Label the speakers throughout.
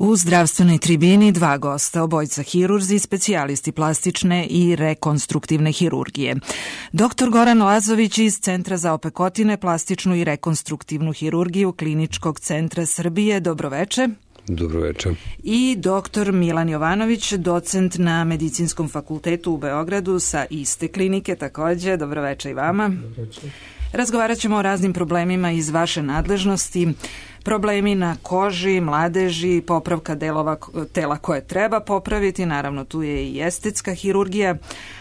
Speaker 1: U zdravstvenoj tribini dva gosta, obojica hirurzi, specijalisti plastične i rekonstruktivne hirurgije. Dr. Goran Lazović iz Centra za opekotine, plastičnu i rekonstruktivnu hirurgiju Kliničkog centra Srbije. Dobroveče.
Speaker 2: Dobroveče.
Speaker 1: I dr. Milan Jovanović, docent na Medicinskom fakultetu u Beogradu sa iste klinike takođe. Dobroveče i vama.
Speaker 3: Dobroveče.
Speaker 1: Razgovarat ćemo o raznim problemima iz vaše nadležnosti, problemi na koži, mladeži, popravka delova tela koje treba popraviti, naravno tu je i estetska hirurgija,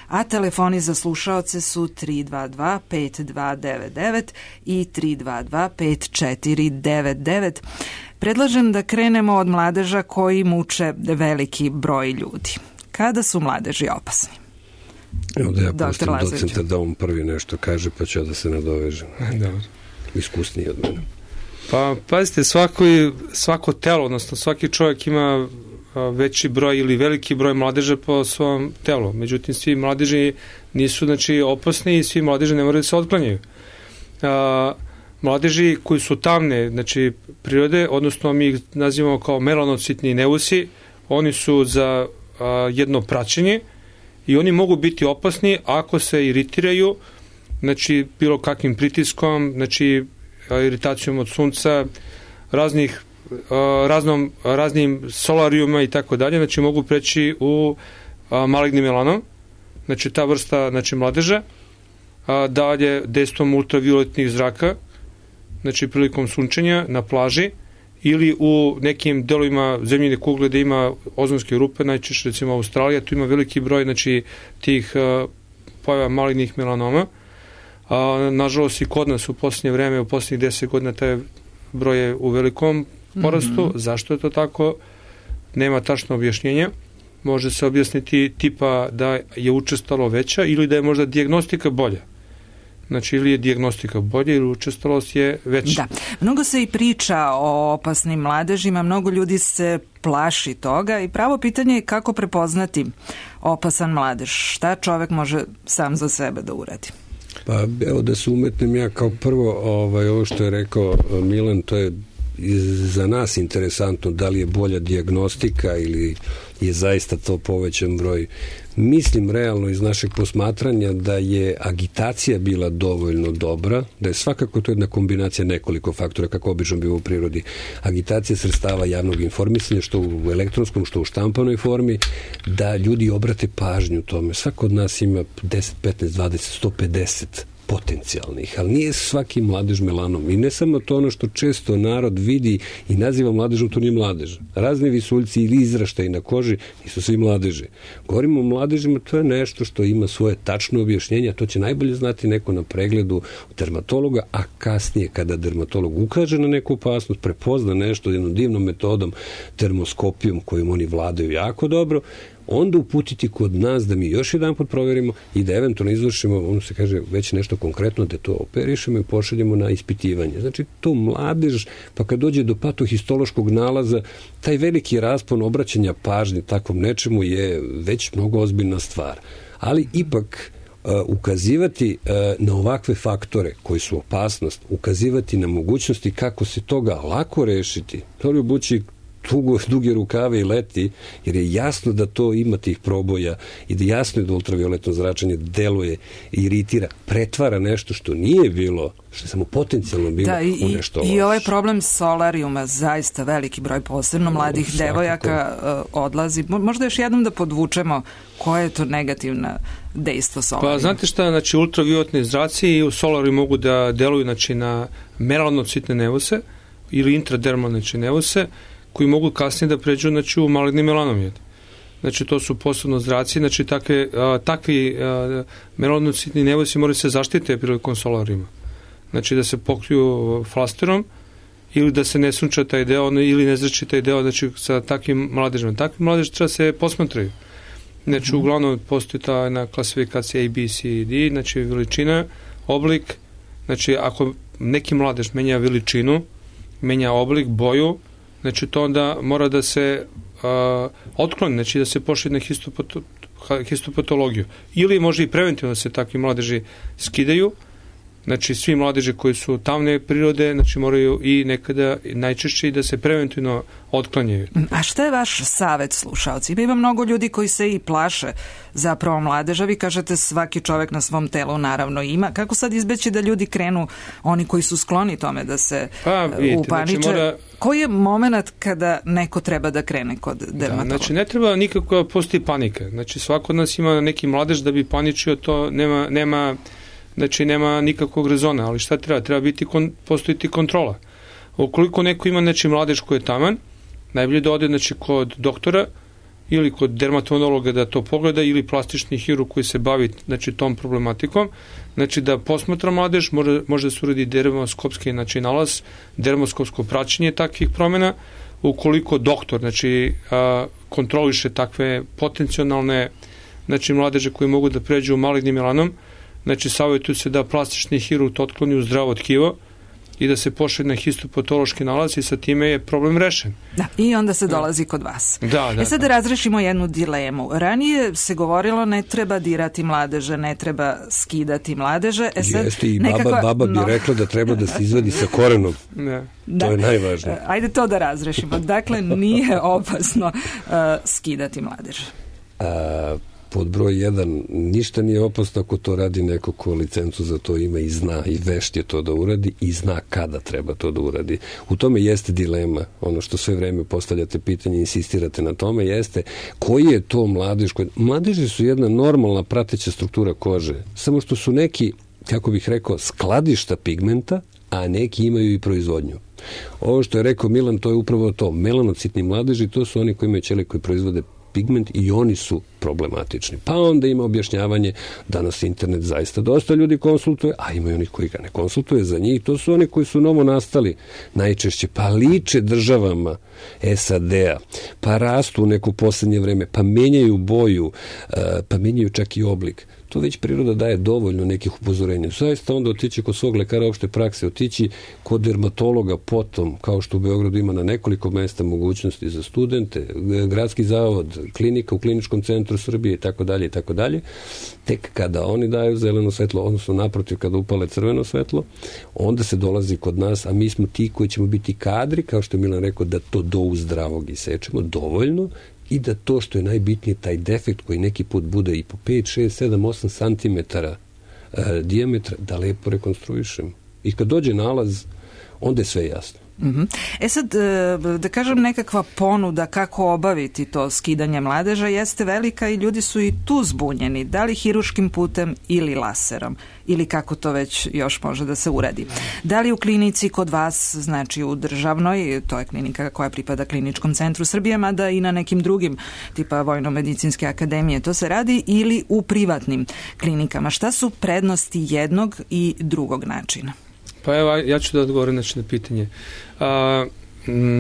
Speaker 1: a telefoni za slušaoce su 322-5299 i 322-5499. Predlažem da krenemo od mladeža koji muče veliki broj ljudi. Kada su mladeži opasni?
Speaker 2: Evo da ja pustim docenta da on prvi nešto kaže, pa ću ja da se nadovežem.
Speaker 3: Dobro.
Speaker 2: Iskusniji od mene.
Speaker 3: Pa, pazite, svako telo, odnosno svaki čovjek ima veći broj ili veliki broj mladeža po svom telu. Međutim, svi mladeži nisu, opasni i svi mladeži ne moraju da se otklanjaju. Mladeži koji su tamne, prirode, odnosno mi ih nazivamo kao melanocitni neusi, oni su za jedno praćenje i oni mogu biti opasni ako se iritiraju, bilo kakvim pritiskom, iritacijom od sunca, raznim solarijuma i tako dalje, mogu preći u maligni melanom, ta vrsta mladeža, dalje dejstvom ultravioletnih zraka, prilikom sunčenja na plaži ili u nekim delovima zemljine kugle gde ima ozonske rupe, najčešće recimo Australija, tu ima veliki broj tih pojava malignih melanoma. Nažalost i kod nas u posljednje vreme, u posljednjih 10 godina taj broj je u velikom porastu. Zašto je to tako? Nema tačno objašnjenja. Može se objasniti tipa da je učestalo veća ili da je možda dijagnostika bolja. Ili je dijagnostika bolja ili učestalost je veća.
Speaker 1: Da. Mnogo se i priča o opasnim mladežima, mnogo ljudi se plaši toga i pravo pitanje je kako prepoznati opasan mladež. Šta čovek može sam za sebe da uradi?
Speaker 2: Pa evo da se umetnem ja kao prvo ovo što je rekao Milan, to je za nas interesantno, da li je bolja dijagnostika ili je zaista to povećan broj. Mislim realno iz našeg posmatranja da je agitacija bila dovoljno dobra, da je svakako to jedna kombinacija nekoliko faktora, kako obično biva u prirodi. Agitacija sredstava javnog informisanja, što u elektronskom, što u štampanoj formi, da ljudi obrate pažnju tome. Svako od nas ima 10, 15, 20, 150 potencijalnih, ali nije svaki mladež melanom. I ne samo to ono što često narod vidi i naziva mladežom, to nije mladež. Razni visuljci ili izraštaji na koži nisu svi mladeži. Govorimo o mladežima, to je nešto što ima svoje tačno objašnjenje, to će najbolje znati neko na pregledu dermatologa, a kasnije kada dermatolog ukaže na neku opasnost, prepozna nešto jednom divnom metodom, termoskopijom kojom oni vladaju jako dobro, onda uputiti kod nas da mi još jedan put proverimo i da eventualno izvršimo, ono se kaže, već nešto konkretno, da to operišemo i pošaljemo na ispitivanje. To mladež, pa kad dođe do patohistološkog nalaza, taj veliki raspon obraćanja pažnje takvom nečemu je već mnogo ozbiljna stvar. Ali ipak ukazivati na ovakve faktore koji su opasnost, ukazivati na mogućnosti kako se toga lako rešiti, to je obući duge rukave i leti, jer je jasno da to ima tih proboja i da jasno je da ultravioletno zračenje deluje, iritira, pretvara nešto što nije bilo, što je samo potencijalno bilo u nešto loše.
Speaker 1: I ovaj problem solarijuma, zaista veliki broj, posebno mladih devojaka odlazi. Možda još jednom da podvučemo koje je to negativna dejstvo solarijuma.
Speaker 3: Pa znate šta, ultravioletni zraci i u solariju mogu da deluju na melanocitne nevose ili intradermalne nevose, koji mogu kasnije da pređu u maligni melanom. To su posebno zraci, takvi melanocitni nevosi moraju se zaštite prilikom solarijuma. Da se pokriju flasterom ili da se ne sunča taj deo ili ne zrači taj deo sa takvim mladežima. Takvi mladeži treba se posmatraju. Uglavnom postoji ta jedna klasifikacija A, B, C i D, veličina, oblik. Ako neki mladež menja veličinu, menja oblik, boju, to onda mora da se otkloni, da se pošalje na histopatologiju. Ili može i preventivno da se takvi mladeži skidaju Znači, svi mladeži koji su tamne prirode, znači moraju i nekada najčešće i da se preventivno otklanjaju.
Speaker 1: A šta je vaš savet slušalci? Ima mnogo ljudi koji se i plaše zapravo mladeža. Vi kažete svaki čovek na svom telu naravno ima. Kako sad izbeći da ljudi krenu, oni koji su skloni tome da se upaniče? Znači koji je moment kada neko treba da krene kod dermatologa?
Speaker 3: Znači, ne treba nikako postoji panika. Znači, svako od nas ima neki mladež da bi paničio, to nema nikakvog rezona, ali šta treba? Treba postojiti kontrola. Ukoliko neko ima mladež koji je taman, najbolje da ode kod doktora ili kod dermatologa da to pogleda ili plastični hirurg koji se bavi tom problematikom, da posmatra mladež, može da se uradi dermoskopski nalaz, dermoskopsko praćenje takvih promjena. Ukoliko doktor kontroliše takve potencijalne mladeže koji mogu da pređu malignim melanom, savjetuje se da plastični hirurg otkloni u zdravo tkivo i da se pošalje na histopatološki nalaz i sa time je problem rešen.
Speaker 1: Da, i onda se dolazi kod vas. Sad da razrešimo jednu dilemu. Ranije se govorilo ne treba dirati mladeže, ne treba skidati mladeže.
Speaker 2: Jeste, i baba bi rekla da treba da se izvadi sa korenom. To je najvažnije.
Speaker 1: Ajde to da razrešimo. Dakle, nije opasno skidati mladeže.
Speaker 2: Pod broj 1, ništa nije opasno ako to radi neko ko licencu za to ima i zna i vešt je to da uradi i zna kada treba to da uradi. U tome jeste dilema, ono što sve vreme postavljate pitanje i insistirate na tome, jeste koji je to mladež. Mladeži su jedna normalna prateća struktura kože, samo što su neki, kako bih rekao, skladišta pigmenta, a neki imaju i proizvodnju. Ovo što je rekao Milan, to je upravo to. Melanocitni mladeži, to su oni koji imaju ćelije koji proizvode pigment i oni su problematični. Pa onda ima objašnjavanje, danas internet zaista dosta ljudi konsultuje, a ima i onih koji ga ne konsultuje za njih. To su oni koji su novo nastali najčešće, pa liče državama SAD-a, pa rastu u neko poslednje vreme, pa menjaju boju, pa menjaju čak i oblik. To već priroda daje dovoljno nekih upozorenja. Zaista onda otići kod svog lekara opšte prakse, otići kod dermatologa potom, kao što u Beogradu ima na nekoliko mesta mogućnosti za studente, gradski zavod, klinika u kliničkom centru Srbije i tako dalje, tek kada oni daju zeleno svetlo, odnosno naprotiv kada upale crveno svetlo, onda se dolazi kod nas, a mi smo ti koji ćemo biti kadri, kao što je Milan rekao, da to do uzdravog isečemo dovoljno i da to što je najbitnije, taj defekt koji neki put bude i po 5, 6, 7, 8 cm dijametra, da lepo rekonstruišemo. I kad dođe nalaz, onda je sve jasno.
Speaker 1: Sad, da kažem, nekakva ponuda kako obaviti to skidanje mladeža jeste velika i ljudi su i tu zbunjeni, da li hiruškim putem ili laserom, ili kako to već još može da se uradi. Da li u klinici kod vas, znači u državnoj, to je klinika koja pripada Kliničkom centru Srbije, mada i na nekim drugim, tipa Vojno-medicinske akademije, to se radi, ili u privatnim klinikama. Šta su prednosti jednog i drugog načina?
Speaker 3: Pa evo, ja ću da odgovorim na pitanje.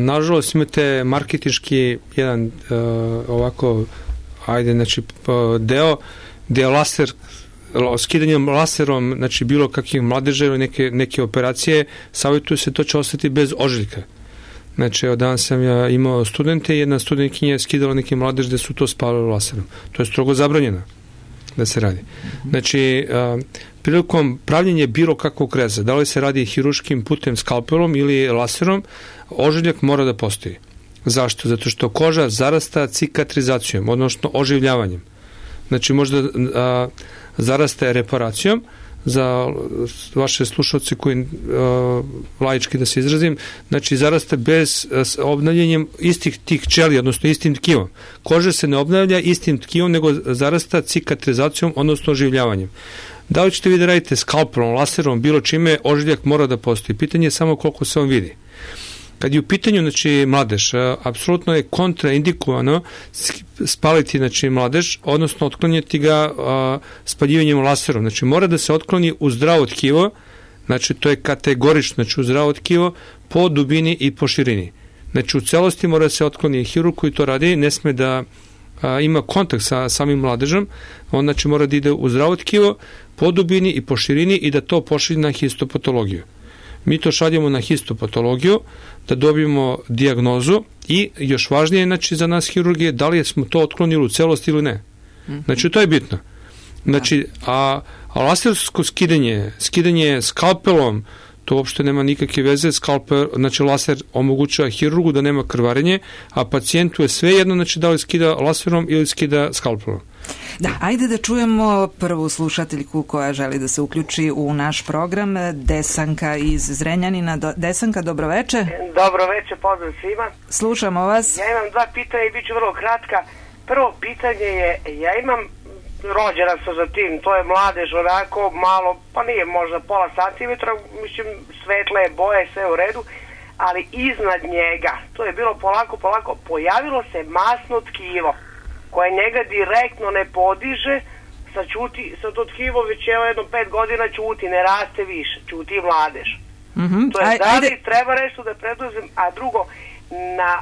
Speaker 3: Nažalost, imate marketinški jedan deo gde laser, skidanjem laserom, znači bilo kakvih mladeža ili neke operacije, savjetuje se to će ostati bez ožiljka. Znači, od danas sam ja imao studente i jedna studentkinja je skidala neki mladež gde su to spalili laserom. To je strogo zabranjeno da se radi. Znači, prilikom pravljenja bilo kakvog reza, da li se radi hiruškim putem, skalpelom ili laserom, ožiljak mora da postoji. Zašto? Zato što koža zarasta cikatrizacijom, odnosno oživljavanjem. Znači, možda zarasta reparacijom, za vaše slušalce koji laički da se izrazim, znači zarasta bez obnavljanjem istih tih ćelija, odnosno istim tkivom. Koža se ne obnavlja istim tkivom, nego zarasta cikatrizacijom, odnosno oživljavanjem. Da li ćete vi da radite skalpelom, laserom, bilo čime, ožiljak mora da postoji. Pitanje je samo koliko se on vidi. Kad je u pitanju, znači, mladež, apsolutno je kontraindikovano spaliti, znači, mladež, odnosno otklanjati ga spaljivanjem laserom. Znači, mora da se otkloni u zdravo tkivo, znači, to je kategorično, znači, u zdravo tkivo, po dubini i po širini. Znači, u celosti mora da se otkloni hirurg koji to radi, ne sme da ima kontakt sa samim mladežom, on, znači, mora da ide u zdravo tkivo, po dubini i po širini i da to pošalje na histopatologiju. Mi to šaljemo na histopatologiju, da dobijemo dijagnozu i još važnije, znači, za nas hirurgije, da li smo to otklonili u celosti ili ne. Znači, to je bitno. Znači, a lasersko skidanje skalpelom, to uopšte nema nikakve veze. Znači, laser omogućava hirurgu da nema krvarenje, a pacijentu je sve jedno, znači, da li skida laserom ili skida skalpelom.
Speaker 1: Da, ajde da čujemo prvu slušateljku koja želi da se uključi u naš program, Desanka iz Zrenjanina. Desanka, dobroveče.
Speaker 4: Dobroveče, pozdrav svima.
Speaker 1: Slušamo vas.
Speaker 4: Ja imam dva pitanja i bit ću vrlo kratka. Prvo pitanje je, ja imam, rođena sam za tim, to je mladež onako malo, pa nije možda pola centimetra, mislim svetle boje, sve u redu, ali iznad njega, to je bilo polako, pojavilo se masno tkivo koje njega direktno ne podiže, sad to tkivo već jedno 5 godina ćuti, ne raste više, ćuti mladež. To je da li treba nešto da preduzem, a drugo, na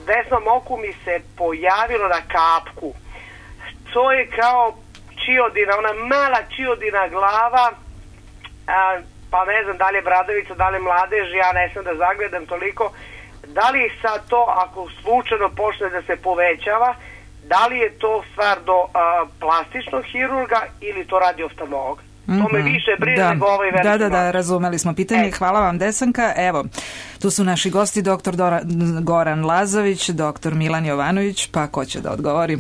Speaker 4: desnom oku mi se pojavilo na kapku. To je kao čiodina, ona mala čiodina glava, pa ne znam da li je bradavica, da li je mladež, ja ne znam da zagledam toliko. Da li sad to, ako slučajno počne da se povećava, da li je to stvar do plastičnog hirurga ili to radi oftalmolog? To me više brine nego ovaj veliki.
Speaker 1: Da, razumeli smo pitanje. Hvala vam, Desanka. Evo, tu su naši gosti, doktor Goran Lazović, doktor Milan Jovanović, pa ko će da odgovori?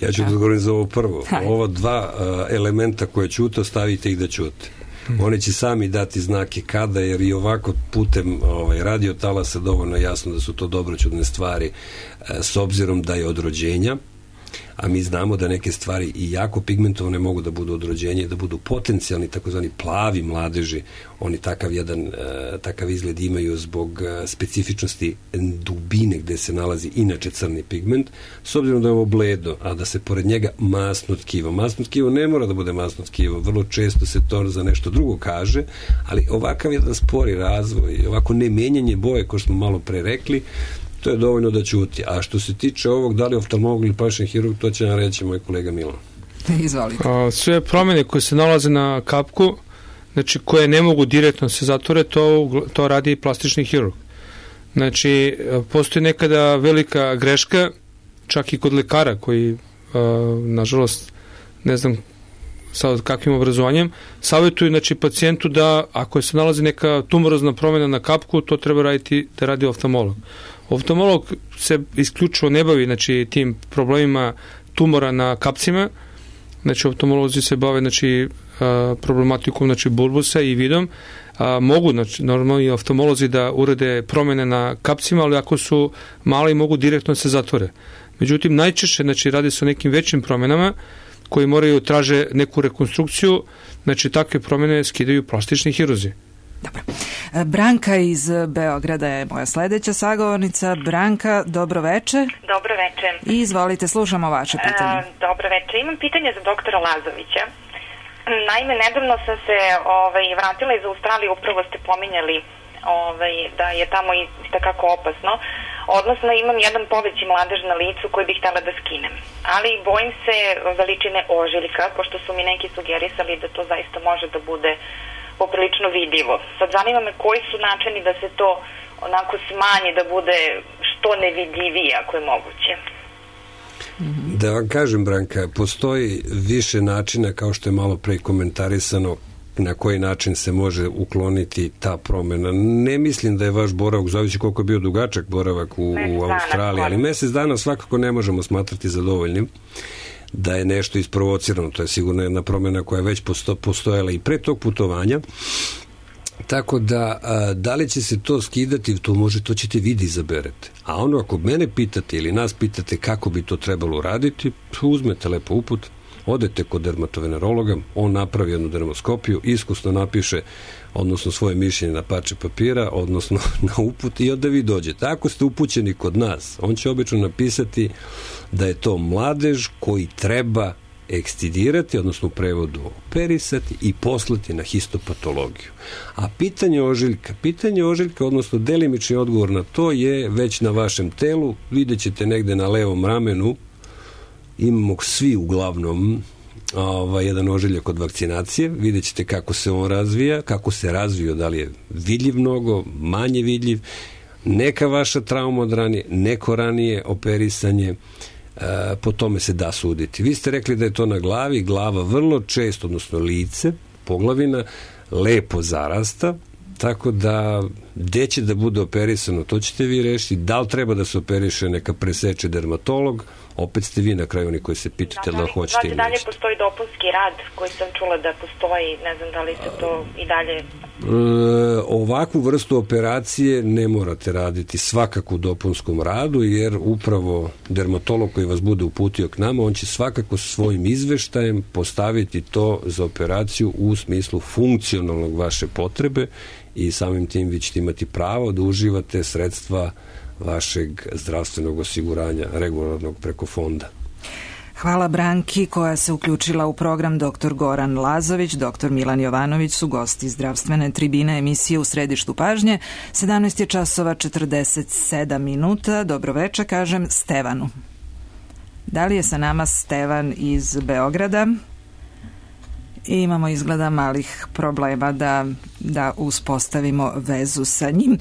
Speaker 2: Ja ću da odgovorim za ovo prvo. Ova dva elementa koje ćute, ostavite ih da ćute. Oni će sami dati znake kada, jer i ovako putem radiotalasa dovoljno jasno da su to dobroćudne stvari, s obzirom da je od rođenja, a mi znamo da neke stvari i jako pigmentovane mogu da budu od rođenja i da budu potencijalni takozvani plavi mladeži. Oni takav izgled imaju zbog specifičnosti dubine gde se nalazi inače crni pigment, s obzirom da je ovo bledo, a da se pored njega masno tkivo. Masno tkivo ne mora da bude masno tkivo, vrlo često se to za nešto drugo kaže, ali ovakav jedan spori razvoj, ovako ne menjanje boje, ko što smo malo pre rekli, to je dovoljno da ćuti. A što se tiče ovog, da li oftalmolog ili plastični hirurg, to će nam reći moj kolega Milan.
Speaker 1: Izvolite.
Speaker 3: Sve promjene koje se nalaze na kapku, znači koje ne mogu direktno se zatvore, to radi i plastični hirurg. Znači, postoji nekada velika greška, čak i kod lekara koji, nažalost, ne znam sa kakvim obrazovanjem, savjetuju, znači, pacijentu da ako se nalazi neka tumorozna promjena na kapku, to treba raditi da radi oftalmolog. Oftalmolog se isključivo ne bavi, znači, tim problemima tumora na kapcima. Znači, oftalmolozi se bave, znači, problematikom, znači, bulbusa i vidom. Mogu, znači, normalno i oftalmolozi da urede promjene na kapcima, ali ako su mali, mogu direktno se zatvore. Međutim, najčešće, znači, radi se o nekim većim promjenama koji moraju traže neku rekonstrukciju, znači, takve promjene skidaju plastični hirurzi.
Speaker 1: Dobro. Branka iz Beograda je moja sledeća sagovornica. Branka, dobroveče.
Speaker 5: Dobroveče.
Speaker 1: I izvolite, slušamo vaše pitanje.
Speaker 5: Dobroveče. Imam pitanje za doktora Lazovića. Naime, nedavno sam se vratila iz Australije, upravo ste pominjali da je tamo i takako opasno. Odnosno, imam jedan poveći mladež na licu koji bih htjela da skinem. Ali bojim se veličine ožiljka, pošto su mi neki sugerisali da to zaista može da bude poprilično vidljivo. Sad zanima me koji su načini da se to onako smanji, da bude što nevidljivije ako je moguće.
Speaker 2: Da vam kažem, Branka, postoji više načina, kao što je malo pre komentarisano, na koji način se može ukloniti ta promjena. Ne mislim da je vaš boravak, zavisi koliko je bio dugačak boravak u Australiji, ali mesec dana svakako ne možemo smatrati za dovoljnim da je nešto isprovocirano. To je sigurno jedna promjena koja je već postojala i pre tog putovanja. Tako da li će se to skidati, to ćete vi da izaberete. A ono, ako mene pitate ili nas pitate kako bi to trebalo uraditi, uzmete lepo uput, odete kod dermatovenerologa, on napravi jednu dermoskopiju, iskusno napiše, odnosno svoje mišljenje na parče papira, odnosno na uput, i onda vi dođete. Ako ste upućeni kod nas, on će obično napisati da je to mladež koji treba ekstidirati, odnosno u prevodu operisati i poslati na histopatologiju. A pitanje ožiljka, odnosno delimični odgovor na to je već na vašem telu. Vidjet ćete negde na levom ramenu, imamo svi uglavnom jedan ožiljak od vakcinacije, vidjet ćete kako se on razvija, kako se razvio, da li je vidljiv mnogo, manje vidljiv, neka vaša trauma od ranije, neko ranije operisanje, po tome se da suditi. Vi ste rekli da je to na glavi, glava vrlo često, odnosno lice, poglavina, lepo zarasta, tako da gde će da bude operisano, to ćete vi rešiti. Da li treba da se operiše, neka preseče dermatolog, opet ste vi na kraju oni koji se pitate da li hoćete ili
Speaker 5: dalje
Speaker 2: nećete.
Speaker 5: Postoji dopunski rad koji sam čula da postoji, ne znam da li se to i dalje...
Speaker 2: Ovakvu vrstu operacije ne morate raditi svakako u dopunskom radu, jer upravo dermatolog koji vas bude uputio k nama, on će svakako svojim izveštajem postaviti to za operaciju u smislu funkcionalnog vaše potrebe i samim tim vi ćete imati pravo da uživate sredstva vašeg zdravstvenog osiguranja regularnog preko fonda.
Speaker 1: Hvala Branki koja se uključila u program. Dr. Goran Lazović, dr. Milan Jovanović su gosti zdravstvene tribine emisije U središtu pažnje. 17 je časova 47 minuta. Dobroveče, kažem Stevanu. Da li je sa nama Stevan iz Beograda? I imamo izgleda malih problema da uspostavimo vezu sa njim.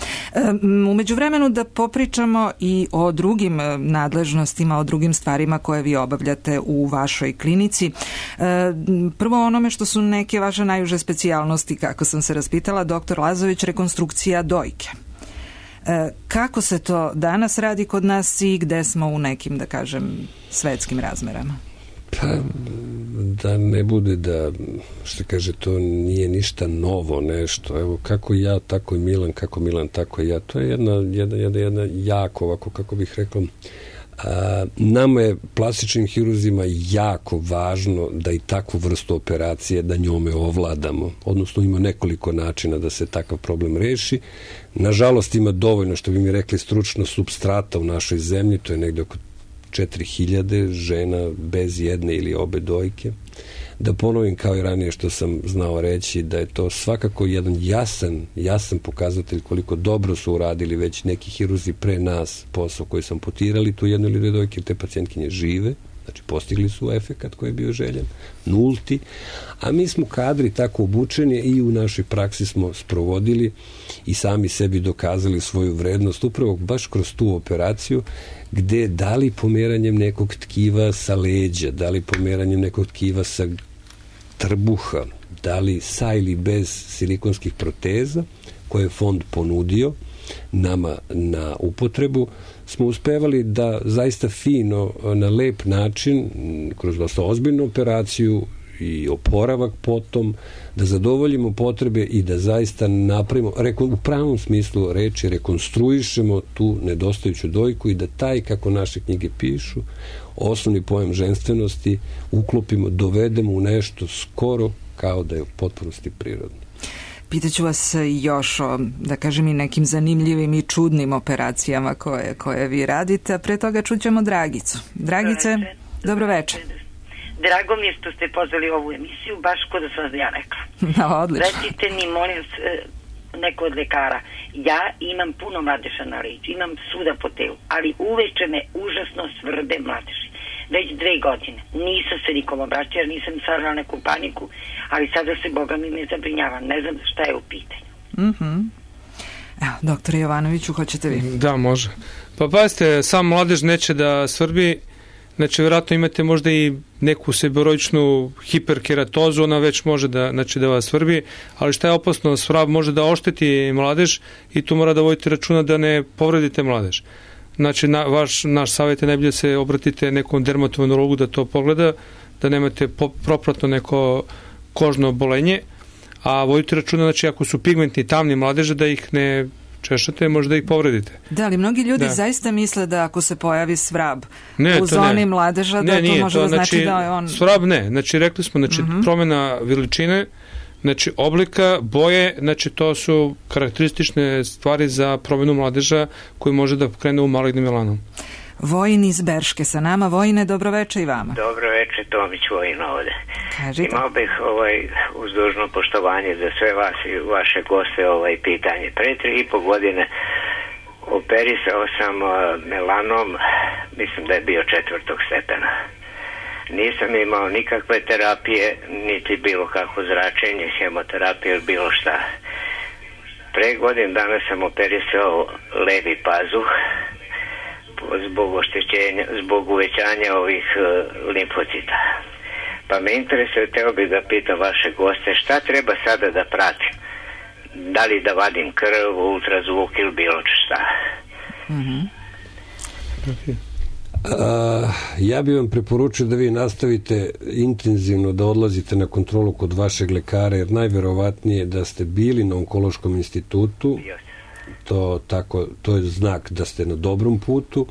Speaker 1: U međuvremenu da popričamo i o drugim nadležnostima, o drugim stvarima koje vi obavljate u vašoj klinici. Prvo onome što su neke vaše najuže specijalnosti, kako sam se raspitala, dr. Lazović, rekonstrukcija dojke. Kako se to danas radi kod nas i gde smo u nekim, da kažem, svetskim razmerama?
Speaker 2: Pa, da ne bude da, što kaže, to nije ništa novo nešto. Evo, kako ja, tako i Milan, kako Milan, tako i ja. To je jedna jako, ovako, kako bih rekao, nama je, plastičnim hirurzima, jako važno da i takvu vrstu operacije, da njome ovladamo. Odnosno, ima nekoliko načina da se takav problem reši. Nažalost, ima dovoljno, što bi mi rekli, stručno supstrata u našoj zemlji, to je negde oko 4000 žena bez jedne ili obe dojke. Da ponovim kao i ranije što sam znao reći, da je to svakako jedan jasan pokazatelj koliko dobro su uradili već neki hirurzi pre nas posao koji sam potirali tu jednu ili dve dojke, te pacijentkinje žive, znači postigli su efekat koji je bio željen, nulti, a mi smo kadri tako obučeni i u našoj praksi smo sprovodili i sami sebi dokazali svoju vrednost upravo baš kroz tu operaciju, gde da li pomeranjem nekog tkiva sa leđa, da li pomeranjem nekog tkiva sa trbuha, da li sa ili bez silikonskih proteza koje je fond ponudio nama na upotrebu, smo uspevali da zaista fino, na lep način, kroz dosta ozbiljnu operaciju i oporavak potom, da zadovoljimo potrebe i da zaista napravimo, u pravom smislu reči, rekonstruišemo tu nedostajuću dojku i da taj, kako naše knjige pišu, osnovni pojam ženstvenosti uklopimo, dovedemo u nešto skoro kao da je u potpunosti prirodno.
Speaker 1: Pitaću vas još o, da kažem, i nekim zanimljivim i čudnim operacijama koje vi radite, a pre toga čućemo Dragicu. Dragice, dobro večer.
Speaker 6: Drago mi je što ste pozvali ovu emisiju, baš kod da sam ja rekla.
Speaker 1: No, odlično.
Speaker 6: Recite mi, molim neko od lekara, ja imam puno mladeša na leđu, imam svuda po telu, ali uveče me užasno svrde mladeši. Već 2 godine. Nisam se nikom obraćala, nisam stvarala neku paniku, ali sada se, Boga mi, ne zabrinjavam. Ne znam šta je u pitanju.
Speaker 1: Evo, doktore Jovanoviću, hoćete vi?
Speaker 3: Da, može. Pa pazite, sam mladež neće da svrbi. Znači, vjerojatno imate možda i neku seboroičnu hiperkeratozu, ona već može da vas svrbi, ali šta je opasno, svrab može da ošteti mladež i tu mora da vodite računa da ne povredite mladež. Znači, naš savjet je najbolje se obratite nekom dermatovenologu da to pogleda, da nemate propratno neko kožno obolenje, a vodite računa, znači, ako su pigmentni tamni mladeže, da ih ne češate, možda ih povredite.
Speaker 1: Da, ali mnogi ljudi zaista misle da ako se pojavi svrab u zoni mladeža, da to može da znači da je on...
Speaker 3: Svrab ne, znači rekli smo, znači promjena veličine, znači oblika, boje, znači to su karakteristične stvari za promjenu mladeža koji može da krene u malignim melanom.
Speaker 1: Vojin iz Berške sa nama. Vojine, dobroveče i vama.
Speaker 7: Dobroveče, Tomić Vojin ovde.
Speaker 1: Kažite.
Speaker 7: Imao bih uz dužno poštovanje za sve vas i vaše goste pitanje. Pre 3,5 godine operisao sam melanom, mislim da je bio 4. stepena. Nisam imao nikakve terapije, niti bilo kako zračenje, hemoterapije ili bilo šta. Pre godinu dana sam operisao levi pazuh, zbog oštećenja, zbog uvećanja ovih limfocita. Pa me interesuje, teo bih da pitam vaše goste, šta treba sada da pratim? Da li da vadim krv, ultrazvuk ili bilo šta?
Speaker 2: Ja bih vam preporučio da vi nastavite intenzivno da odlazite na kontrolu kod vašeg lekara, jer najverovatnije da ste bili na onkološkom institutu, to je znak da ste na dobrom putu,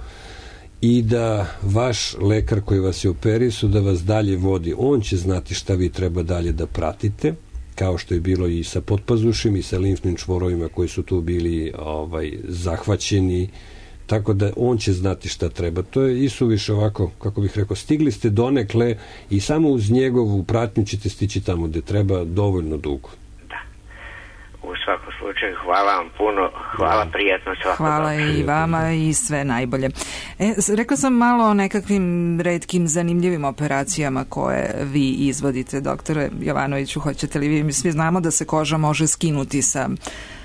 Speaker 2: i da vaš lekar koji vas je operisao da vas dalje vodi. On će znati šta vi treba dalje da pratite, kao što je bilo i sa potpazušim i sa limfnim čvorovima koji su tu bili zahvaćeni, tako da on će znati šta treba. To je isuviše ovako, kako bih rekao, stigli ste donekle i samo uz njegovu pratnju ćete stići tamo gde treba dovoljno dugo.
Speaker 7: Da. U svakom slučaju, hvala vam puno, hvala, prijatno, svako
Speaker 1: hvala dobro. I vama i sve najbolje. Rekla sam malo o nekakvim retkim zanimljivim operacijama koje vi izvodite, doktore Jovanoviću, hoćete li vi? Mi svi znamo da se koža može skinuti sa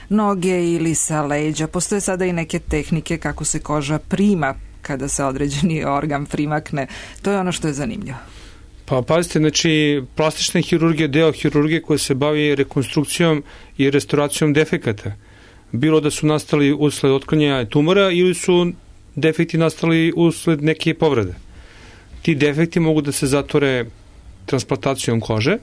Speaker 1: noge ili sa leđa. Postoje sada i neke tehnike kako se koža prima kada se određeni organ primakne. To je ono što je zanimljivo.
Speaker 3: Pa pazite, znači plastična hirurgija je deo hirurgije koja se bavi rekonstrukcijom i restauracijom defekata. Bilo da su nastali usled otklanjanja tumora ili su defekti nastali usled neke povrede. Ti defekti mogu da se zatvore transplantacijom kože,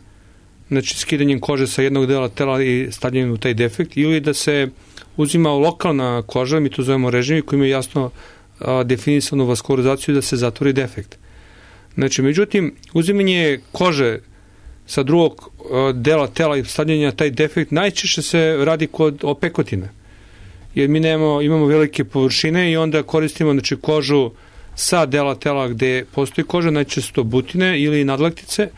Speaker 3: znači skidanjem kože sa jednog dela tela i stavljanjem u taj defekt, ili da se uzima lokalna koža, mi to zovemo režimi, koji imaju jasno definisanu vaskularizaciju da se zatvori defekt. Znači, međutim, uzimanje kože sa drugog dela tela i stavljanja taj defekt najčešće se radi kod opekotine. Jer mi imamo velike površine i onda koristimo znači, kožu sa dela tela gde postoji koža, najčešće to butine ili nadlaktice,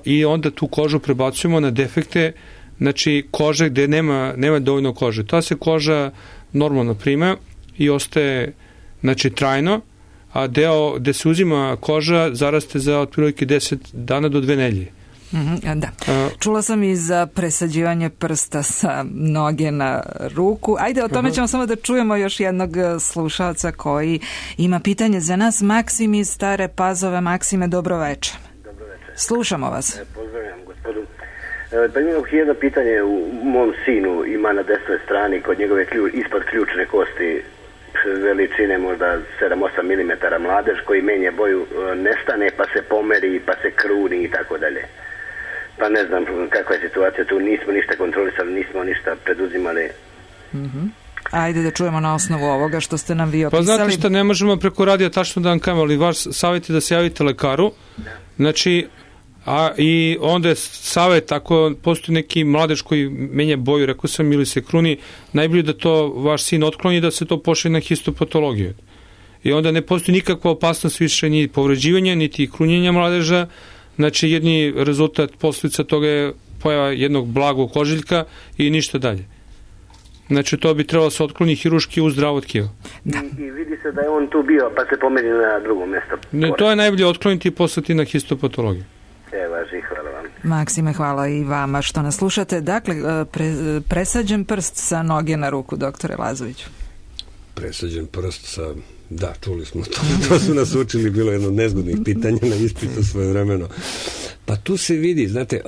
Speaker 3: i onda tu kožu prebacujemo na defekte, znači kože gde nema dovoljno kože. Ta se koža normalno prima i ostaje znači trajno, a deo gde se uzima koža zaraste za otprilike 10 dana do 2 nedelje.
Speaker 1: Da. Čula sam i za presađivanje prsta sa noge na ruku. Ajde, o tome ćemo samo da čujemo još jednog slušalca koji ima pitanje za nas. Maksim iz Stare Pazove. Maksime, dobroveče. Slušamo vas.
Speaker 8: Pozdravljam gospodu. Pa imam jedno pitanje. U mom sinu ima na desnoj strani kod njegove ispod ključne kosti veličine možda 7-8 mm mladež koji menje boju, nestane pa se pomeri pa se kruni i tako dalje. Pa ne znam kakva je situacija tu, nismo ništa kontrolisali, nismo ništa preduzimali.
Speaker 1: Ajde da čujemo na osnovu ovoga što ste nam vi opisali.
Speaker 3: Pa znate što, ne možemo preko radija tačno da vam kažemo, ali vaš savjet je da se javite lekaru. Znači, i onda je savjet, ako postoji neki mladež koji menja boju, rekao sam, ili se kruni, najbolje da to vaš sin otkloni, da se to pošalje na histopatologiju. I onda ne postoji nikakva opasnost više ni povređivanja, niti krunjenja mladeža. Znači, jedni rezultat, posljedica toga je pojava jednog blagog ožiljka i ništa dalje. Znači, to bi trebalo se otkloni hiruški u zdravo tkivo.
Speaker 8: I vidi se da je on tu bio, pa se pomeri na drugo mesto.
Speaker 3: To je najbolje otkloniti i poslati na histopatologiju.
Speaker 8: Važi, hvala vam.
Speaker 1: Maksime, hvala i vama što nas slušate. Dakle, presađen prst sa noge na ruku, doktore Lazoviću.
Speaker 2: Presađen prst sa... Da, čuli smo to. To su nas učili, bilo jedno od nezgodnih pitanja na ispitu svojevremeno. Pa tu se vidi, znate,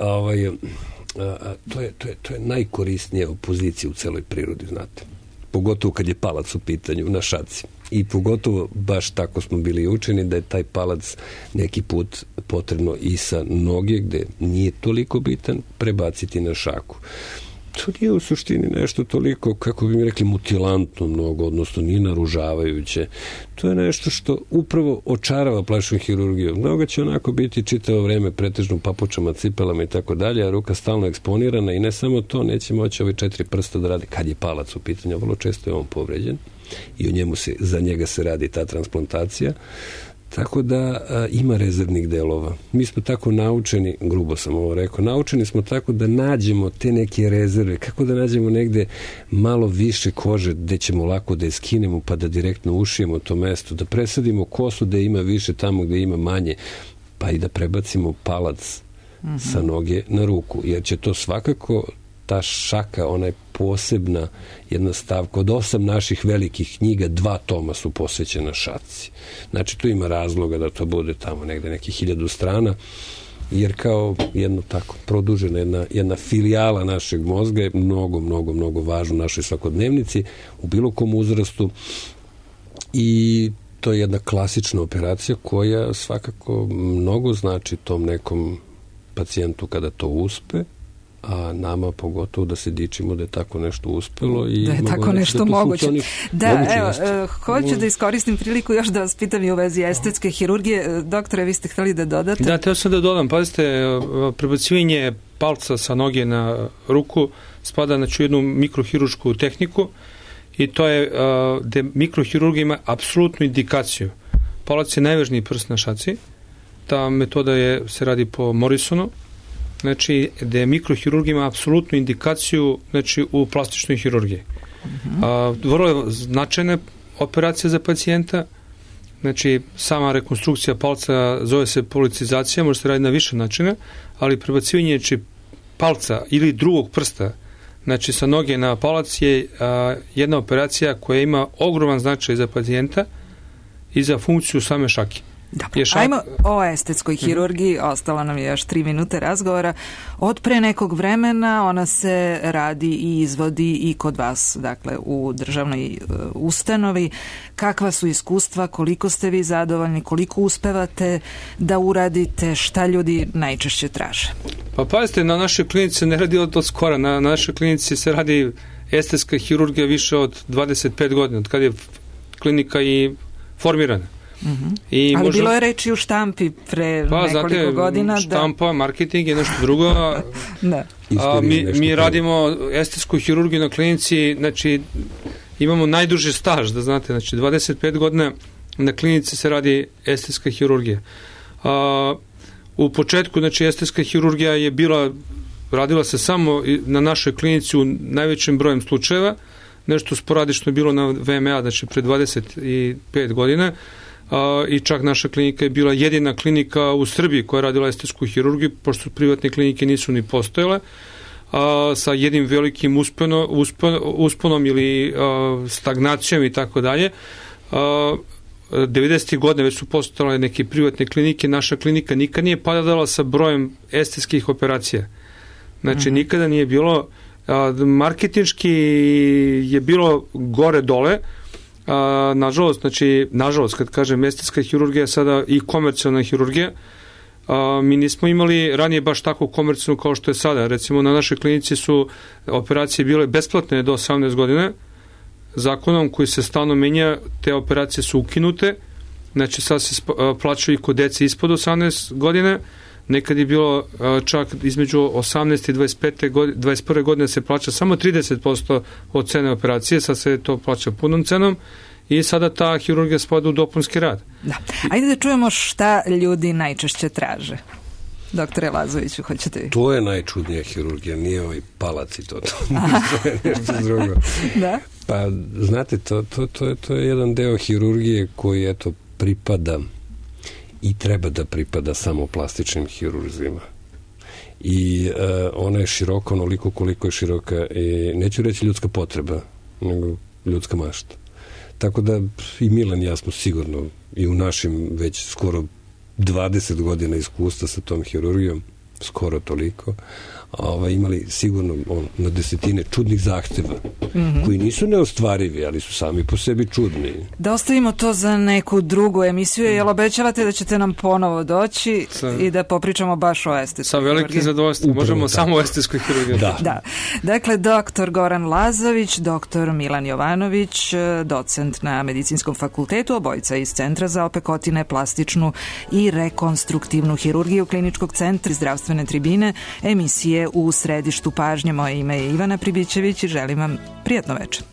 Speaker 2: to je najkorisnija opozicija u celoj prirodi, znate. Pogotovo kad je palac u pitanju na šaci. I pogotovo baš tako smo bili učeni da je taj palac neki put potrebno i sa noge, gde nije toliko bitan, prebaciti na šaku. To nije u suštini nešto toliko, kako bi mi rekli, mutilantno mnogo, odnosno nije naružavajuće. To je nešto što upravo očarava plastičnu hirurgiju. Mnogo će onako biti čitavo vreme pretežno u papučama, cipelama i tako dalje, a ruka stalno eksponirana i ne samo to, neće moći ove 4 prsta da radi kad je palac u pitanju. Vrlo često je on povređen i za njega se radi ta transplantacija. Tako da ima rezervnih delova. Mi smo tako naučeni, grubo sam ovo rekao, naučeni smo tako da nađemo te neke rezerve, kako da nađemo negde malo više kože gde ćemo lako da je skinemo pa da direktno ušijemo to mesto, da presadimo kosu gde ima više, tamo gde ima manje, pa i da prebacimo palac sa noge na ruku, jer će to svakako ta šaka, ona je posebna jedna stavka. Od 8 naših velikih knjiga 2 toma su posvećena šaci. Znači, tu ima razloga da to bude tamo negde nekih 1000 strana, jer kao jedno tako produžena jedna filijala našeg mozga je mnogo važno u našoj svakodnevnici, u bilo kom uzrastu, i to je jedna klasična operacija koja svakako mnogo znači tom nekom pacijentu kada to uspe, a nama pogotovo da se dičimo da je tako nešto uspelo i
Speaker 1: da je tako nešto moguće. Hoću
Speaker 2: da
Speaker 1: iskoristim priliku još da vas pitam i u vezi estetske hirurgije. Doktore, vi ste hteli da dodate?
Speaker 3: Da, teo sam da dodam. Pazite, prebacivanje palca sa noge na ruku spada na jednu mikrohirušku tehniku i to je gde mikrohirurgija ima apsolutnu indikaciju. Palac je najvažniji prst na šaci. Ta metoda se radi po Morrisonu. Znači, gde mikrohirurgija ima apsolutnu indikaciju, znači, u plastičnoj hirurgiji. Vrlo je značajna operacija za pacijenta. Znači, sama rekonstrukcija palca zove se policizacija, može se raditi na više načina, ali prebacivanje palca ili drugog prsta, znači sa noge na palac, je jedna operacija koja ima ogroman značaj za pacijenta i za funkciju same šake.
Speaker 1: Dobro, ajmo o estetskoj hirurgiji, ostalo nam je još 3 minute razgovora. Od pre nekog vremena ona se radi i izvodi i kod vas, dakle u državnoj ustanovi. Kakva su iskustva, koliko ste vi zadovoljni, koliko uspevate da uradite, šta ljudi najčešće traže?
Speaker 3: Pa pazite, na našoj klinici se ne radi od skora, na našoj klinici se radi estetska hirurgija više od 25 godina, od kada je klinika i formirana.
Speaker 1: Ali bilo je reči u štampi pre nekoliko godina.
Speaker 3: Štampa, marketing je nešto drugo. Mi radimo estetsku hirurgiju na klinici, znači imamo najduži staž, da znate, znači 25 godina na klinici se radi estetska hirurgija. U početku, znači, estetska hirurgija je radila se samo na našoj klinici u najvećem brojem slučajeva, nešto sporadično je bilo na VMA, znači pre 25 godina, i čak naša klinika je bila jedina klinika u Srbiji koja je radila estetsku hirurgiju, pošto privatne klinike nisu ni postojale, sa jednim velikim usponom ili stagnacijom i tako dalje. 90. godine već su postojale neke privatne klinike, naša klinika nikad nije padala sa brojem estetskih operacija. Znači, nikada nije bilo, marketinški je bilo gore-dole, nažalost, kad kažem estetska hirurgija je sada i komercijalna hirurgija, mi nismo imali ranije baš tako komercijalno kao što je sada. Recimo, na našoj klinici su operacije bile besplatne do 18 godina, zakonom koji se stalno menja, te operacije su ukinute, znači sad se plaćaju i kod dece ispod 18 godina, nekad je bilo čak između 18 i 21. godine se plaća samo 30% od cene operacije, sad se to plaća punom cenom i sada ta hirurgija spada u dopunski rad.
Speaker 1: Da. Ajde da čujemo šta ljudi najčešće traže. Doktore Lazoviću, hoćete vi?
Speaker 2: To je najčudnija hirurgija, nije ovaj palac i to je nešto drugo.
Speaker 1: Da?
Speaker 2: Pa, znate, to je jedan deo hirurgije koji, eto, pripada i treba da pripada samo plastičnim hirurzima. I ona je široka onoliko koliko je široka, neću reći ljudska potreba, nego ljudska mašta. Tako da i Milan i ja smo sigurno i u našim već skoro 20 godina iskustva sa tom hirurgijom, skoro toliko, imali sigurno na desetine čudnih zahteva, koji nisu neostvarivi, ali su sami po sebi čudni.
Speaker 1: Da ostavimo to za neku drugu emisiju, jel obećavate da ćete nam ponovo doći i da popričamo baš o estetskoj hirurgiji?
Speaker 3: Sa velikim zadovoljstvom, možemo samo o estetskoj hirurgiji.
Speaker 1: Da. Dakle, doktor Goran Lazović, doktor Milan Jovanović, docent na Medicinskom fakultetu, obojica iz Centra za opekotine, plastičnu i rekonstruktivnu hirurgiju Kliničkog centra zdravstvene tribine, emisije u središtu pažnje. Moje ime je Ivana Pribićević i želim vam prijatno večer.